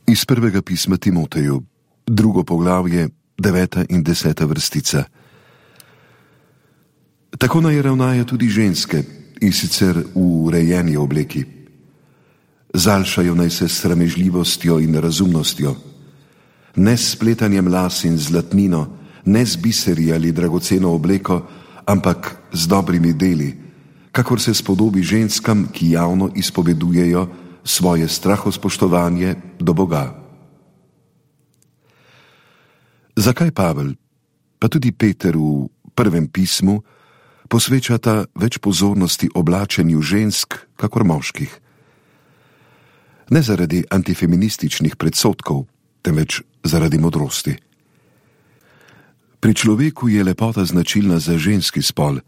Iz prvega pisma Timoteju, 2. poglavje, 9. in 10. vrstica. Tako naj ravnajo tudi ženske, in sicer v urejeni obleki. Zaljšajo naj se s sramežljivostjo in razumnostjo, ne s spletanjem las in zlatnino, ne z biseri ali dragoceno obleko, ampak z dobrimi deli, kakor se spodobi ženskam, ki javno izpovedujejo svoje strahospoštovanje do Boga. Zakaj Pavel, pa tudi Peter v prvem pismu, posvečata več pozornosti oblačenju žensk, kakor moških? Ne zaradi antifeminističnih predsodkov, temveč zaradi modrosti. Pri človeku je lepota značilna za ženski spol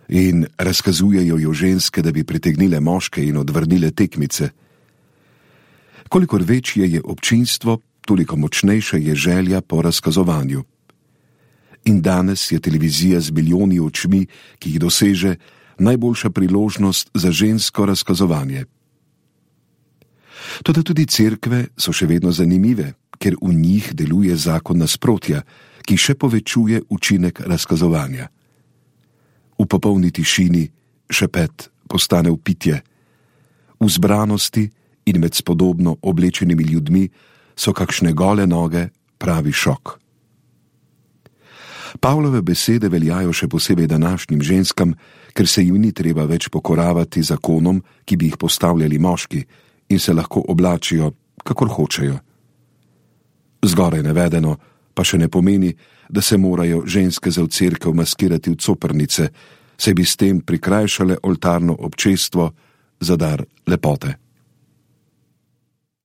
in razkazujejo jo ženske, da bi pritegnile moške in odvrnile tekmice. Kolikor večje je občinstvo, toliko močnejša je želja po razkazovanju. In danes je televizija z milijoni očmi, ki jih doseže, najboljša priložnost za žensko razkazovanje. Toda tudi cerkve so še vedno zanimive, ker v njih deluje zakon nasprotja, ki še povečuje učinek razkazovanja. V popolni tišini šepet postane vpitje. V zbranosti in med spodobno oblečenimi ljudmi so kakšne gole noge pravi šok. Pavlove besede veljajo še posebej današnjim ženskam, ker se jim ni treba več pokoravati zakonom, ki bi jih postavljali moški, in se lahko oblačijo, kakor hočejo. Zgoraj navedeno pa še ne pomeni, da se morajo ženske za v cerkev maskirati v coprnice, saj bi s tem prikrajšale oltarno občestvo za dar lepote.